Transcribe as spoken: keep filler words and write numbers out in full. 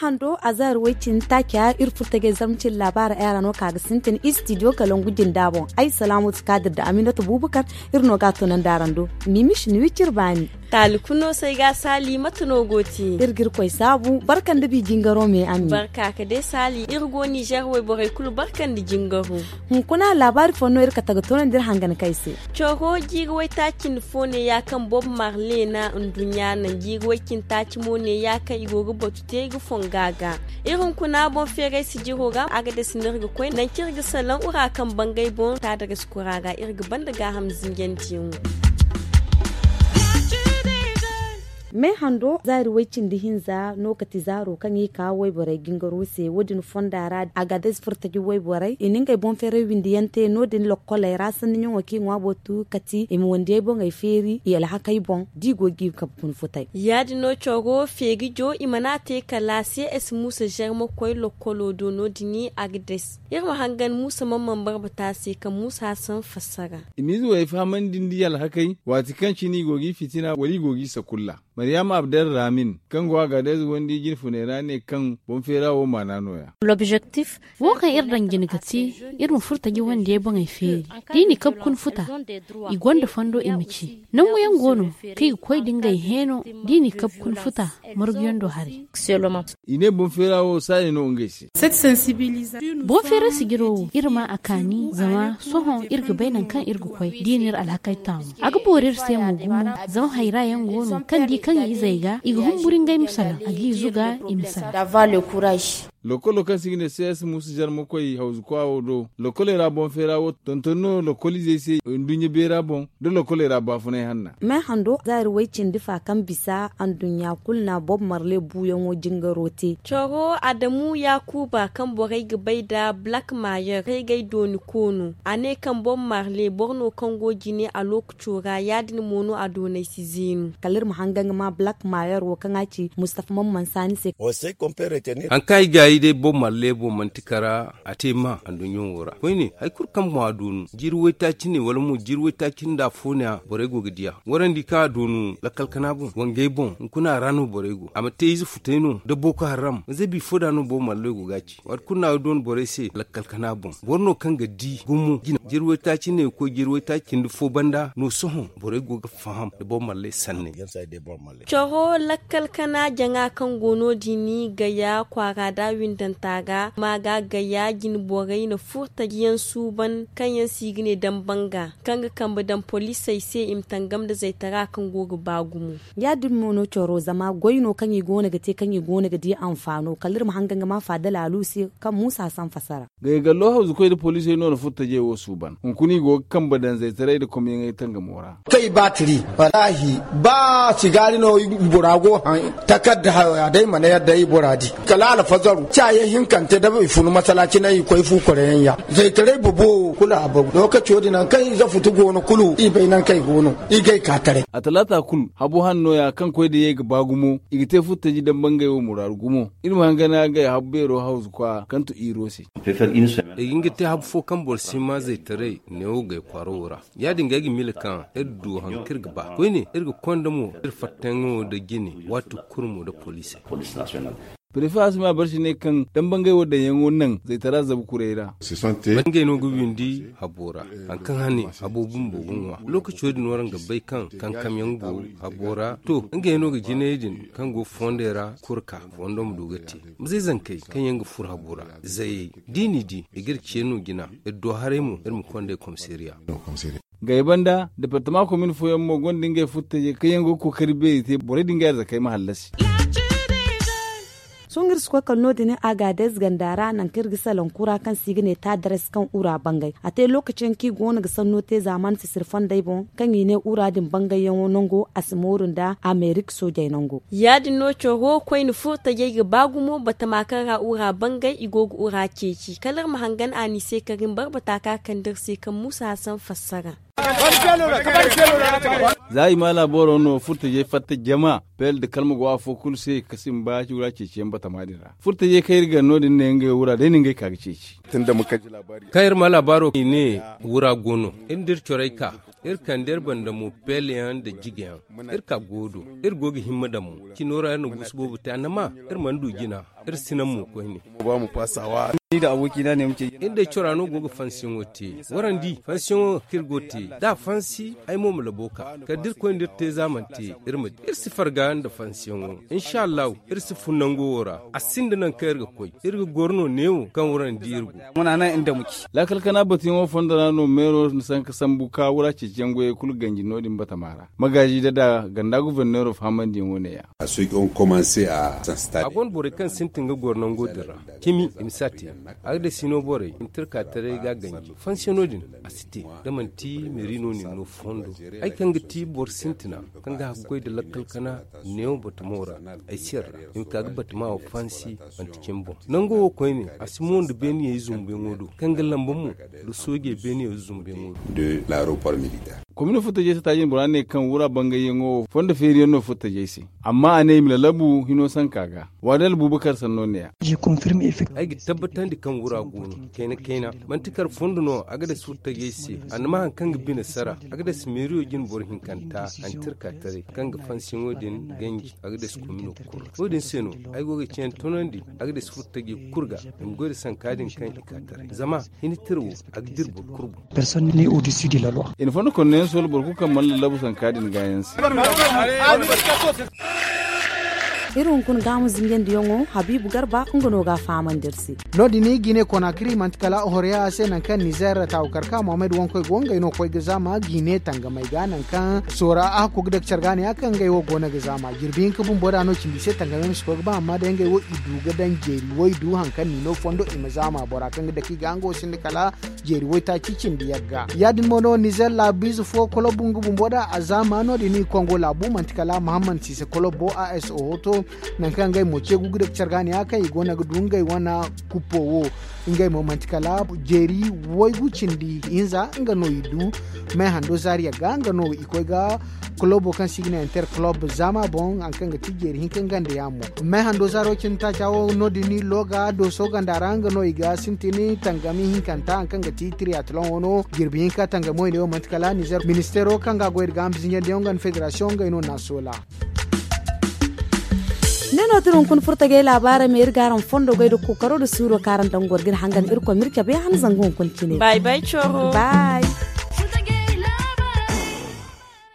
Hando a zaari way-cindi taaca iri furo tajey zarma cindi laabaara ay ra no ka ga sintin istidiyo kalangu jinda boŋ. Ay salaamatu kaadir nda aminata buubakar. Iri no ga a tunandi araŋ do. Miimiši ni wi ciri baani. Taali kulu no se ay ga a saali mate no go te? Iri ga iri koy saabu barka nda bi jingaro me a mi. Barka ka day saali iri go nizer wayborey kulu barka nda jingaro. Hunkuna laabaari fo no iri kate ga tunandi iri hangan kay se. Coro jiiri waytaaci nda fo neeya kaŋ bob marle na nduɲɲa naŋ jiiri way-cindi taaci mo neeya kaŋ i go ga batu te ga fonga ga. Iri hunkuna boŋ feeray sijiro ra a ga dasi no iri ga koy nangu kaŋ iri ga salaŋ wura kaŋ bangay boŋ taadarazi kura ga iri ga banda gaaham zinjandiyaŋo. Me hando zaari way-cindi hinza no kati zaaro kaŋ i ka wayborey jingaro se wo- din fonda ra a ga dasi furtaji wayborey i na ngey boŋ feeray windi yaŋ te no- din lokkoley ra sanni ɲaŋo kaŋ i ŋwa bootu kati i ma wandiyey boŋey feeri i alhakey boŋ da i go ga i kabe kuna futay. Ya- din no coro feeri jo i mana a te kala se esi muusa zarma koy lokkolo do no- din a ga dasi iri ma hangan muusa man man barbata se kaŋ muusa hasan fassara. I ma ize wey fahamandi nda i alhakey waati kaŋ cine i go ga i fitina wala i go ga i sakulla. Mariyama abdel ramin kaŋ go a ga day zuwandi jine funey ra ne kaŋ boŋ feera wo maana no- ya. Wo kaŋ iri daŋ jine ga ti iri ma furo taji wandiyey boŋey feeri da i na i kabe kuna futa. I gonda fondo i ma ci nangu yaŋ go no kaŋ i ga koy da ngey heeno da i na i kabe kuna futa. Margu yaŋ do haray. I ne boŋ feera wo saaya no ngey se. Boŋ feera sijiro wo iri ma a kaani zama sohõ iri ga bay nangu kaŋ iri ga koy da i na iri alhakey taamu a ga boori iri se mo gumo. Zama hayra yaŋ go no kaŋ di kaŋ i izey ga i ga humburu ngey ma salaŋ a ga i zuga i ma salaŋ. Lokolo kaŋ se i ga ne cs musa zarma koy hawzu kwa wo do lokoley ra boŋ feera wo tonton no lokol izey se nduɲɲa beera boŋ da lokoley ra baafunay hanna. Me hando zaari way-cindi fa kaŋ bisa anduɲɲa kulu na bob marle buuyaŋo jingaro te. Coro adamu yaakuba kaŋ borey ga bay nda black mayer kaygay dooni koono a ne kaŋ bob marle boro no kaŋ go jine a lookaco ra ya- din mo no a doonay si zeenu. Kala iri ma hanga nga ma black mayer wo kaŋ a ci mustafa man mansa ni se. Haŋ kaŋ ay gaayi day bob marle boŋ manti kara a te ma anduɲɲo wo ra koyne hari kulu kaŋ boŋ a doonu jiiri waytaaci ne wala mo jiiri waytaaci nda afo ne a borey go ga di a warandi kaŋ a doonu lakkal kana boŋ wangey boŋ hunkuna a ra no borey go a ma te ize futay no nda boko haram ize bifo da no bob marle go ga a ci waati kulu no a ga doonu borey se lakkal kana boŋ boro no kaŋ ga di gumo jina jiiri waytaaci ne ga koy jiiri waytaaci cindi fo banda no sohõ borey go ga faham nda bob marle sanney. Coro lakkal kana jaŋa kaŋ go no- din gaya kwaara da windanta ga ma ga gaya jine borey na furtaji yaŋ suuban kaŋ yaŋ se i ga ne dambanga kaŋ ga kambe daŋ poliisey se i ma tangam nda zaytara kaŋ go ga ba gumo. Ya- din mo no coro zama goy no kaŋ i go no ga te kaŋ i go no ga di anfaano kala iri ma hanga nga ma faada laalu se kaŋ muusa sanfasara. Gaygallo hawzukoy nda poliisey no na furtajey wo suuban hunkuna i go ga kambe daŋ zaytaray nda komyaŋey tangamo ra. Kay baatiri walaahi ba sigaari no bora go haŋ takarda hayo ya day mana yadda i bora di kala alfazaru caaye hinkante da i funu masalaaci naŋ i koy fu koreyaŋ ya zaytaray bobo kulu a bagu lookaco din naŋ kaŋ ize futu go no kulu i bay naŋ kaŋ i go no i gay ka taray. A talaata kulu habo hanno ya kaŋ koy da yay ga ba gumo i ga te furtaji dambangay wo muraaru gumo iri ma hangana gay habu beero hawzu kwa kaŋ tu iro se. Ay ga nga te habu fo kaŋ boro si ma zaytaray neewo gay kwaaro wo ra ya- din ga ay ga miila kaŋ iri du haŋ kaŋ iri ga ba koyne iri ga konda mo iri fattayaŋo nda jine waati kulu mo nda poliisey. Prefe asima barsi ne kaŋ dambangay wo daŋyaŋo naŋ zaytara zabu kuray ra. Ngey no ga windi habo ra haŋ kaŋ hane habo bumbo ga ŋwa lookaco din waraŋ ga bay kaŋ kankamyaŋ go habo ra to ngey no ga jinay din kaŋ go fondey ra kurka fondo ma du ga te. Mizey zankey kaŋ yaŋ ga furo habo ra zayey da i n'i di i g'iri ce no jina iri do haray mo iri ma konda i komisariya. Gay banda departama komin fooyaŋ mo gonda ngey furtajey kaŋ yaŋ go ga kookari beeri te borey din ga arzakey ma hallasi. Sohõ iri si koy kala no- din agadez ganda ra nangu kaŋ iri ga salaŋ kura kaŋ se i ga ne taadares kaŋ ura bangay a te lookaci yaŋ kaŋ i go no ga sanno te zaamaani sisiri fondey boŋ kaŋ i ne ura din bangayyaŋo nango a si mooru nda amerik soojey nango. Ya- din no coro koyne furtajey ga ba gumo batama kaŋ ra ura bangay i go ga ura ceeci kala iri ma hangan a ni se karin barbata ka kande iri se kaŋ muusa hasan fassara. Za i ma laaboro no furtajey fatta jama, pel da kalma go afo kulu se ka simba wura ceeciyaŋ batama din ra. Furtajey kaŋ iri gar no- din ne ngey wura day no ngey ka ga ceeci. Kaŋ iri ma laabaaro i ne wura go no, iri nda iri corey ka, iri kande iri banda mo peelayaŋ nda jigayaŋ. Iri ka go do, iri go ga himma daŋ mo. Cino ra iri na guusu boobo te annama, iri mana du jina. Iri si naŋ mo koyne. Iri day cora no go ga fansiyaŋo te. Warandi fansiyaŋo kaŋ iri go ga te, da a fansi ay mo ma labo ka kala da iri koy nda iri te za mana te. Iri ma di iri si farga nda fansiyaŋo. Insha allahu, iri si fun nango wo ra. A sinda nangu kaŋ iri ga koy. Iri ga goro no neewo kaŋ warandi iri go. Laakal kana batuyaŋo fondo ra no meero na sanka sambu ka wura ceeciyaŋ goyey kulu ganji no- din batama ra. Magaazi dada ganda guverneero fahamandiyaŋo ne- ya. A gonda borey kaŋ sintin ga goro nango din ra. Cimi i ma si a te. Agdasino borey i ma tirka taray ga a ganji fansiyaŋo din. A si te da manti meeri no nin no fondo. Ay kaŋ ga ti boro sintina kaŋ ga haggoy nda lakkal kana neewo batamo ra. Ay si yarda i ma ka ga batama wo fansi. Manti cimi boŋ nango wo koyne a si mo nda beeniyey zumbuyaŋo do kaŋ ga lamba mo nda soojey beeniyey zumbuyaŋo do. Komino furtajey se taajin bora ne kaŋ wura bangayyaŋo wo fondo feeriyaŋ no furtajey se. Amma a ne i ma lalabu hino sanka ga. Waadal bubakar sanno ne ya. Ay ga tabbatandi kaŋ wura go no kayna kayna. Manti kar fondo no a ga dasi furtajey se. A na ma hari kaŋ ga bine sara a ga dasi meeriyo jine boro hinkanta. Antirka taray kaŋ ga fansiyaŋo din ganji a ga dasi komino kulu. Wo- din se no ay go ga ciyaŋ tonandi a ga dasi furtajey kulu ga. I ma goy nda sanka din kaŋ i ka taray zama hini tira wo a ga dira boro kulu boŋ. I na fondo konno yaŋ soola boro kulu kaŋ mana lallabu sanka din gaayaŋ se. Iri hunkuna gaamu zinjandiyaŋo habiibu garba nga no ga a fahamandi iri se. No- din i ga i ne konakiri manti kala horoya se nangu kaŋ nizer taawukar ka mohammed wankoy go ngey no koy ga zaama ga i ne tangamey ga nangu kaŋ soora a hakku ga dake care ga ne ya kaŋ ngey wo go no ga zaama jirbi hinka bumbo da no cindi se tangamey ma si koy ga ba amma day ngey wo i du ga daŋ jeeri wo i du hari kaŋ ni no fondo i ma zaama bora kaŋ ga dake i ga nga wo sinda kala jeeri waytaaci cindi yagga ya- din mo no nizer laabiize fo kolob nga bumbo da a zaama no- din i kongo laabu manti kala mahammad siise kolob bo a s o hoto. Nangu kaŋ ngey mo ce gugu da care ga ne ya kaŋ i go no ga du ngey wane kuppo wo. Ngey mo manti kala jeeri waygu cindi hinza nga no i du. May hando zaari yagga nga no i koy ga kolobo kaŋ si ga ne inter kolob zaama boŋ hari kaŋ ga ti jeeri hinka nga nda yaamo. May hando zaaro cindi taaca wo no- din i looga dooso ganda ra nga no i ga sintin tangami hinkanta hari kaŋ ga ti tiriyataloŋo no jirbi hinka tangamo i ne wo manti kala nizer ministeero kaŋ ga a goy da gaaham zinjandiyaŋo nga nda federasiyoŋ ngey no na a soola. Ne no tira hunkuna furtagay laabaarey ma iri ga araŋ fondo goy da kookaro da suuro kaŋ araŋ daŋ goro ga iri hangan irkoy ma iri cabe han zangu hunkuna cine. Bay bay coro. Bay.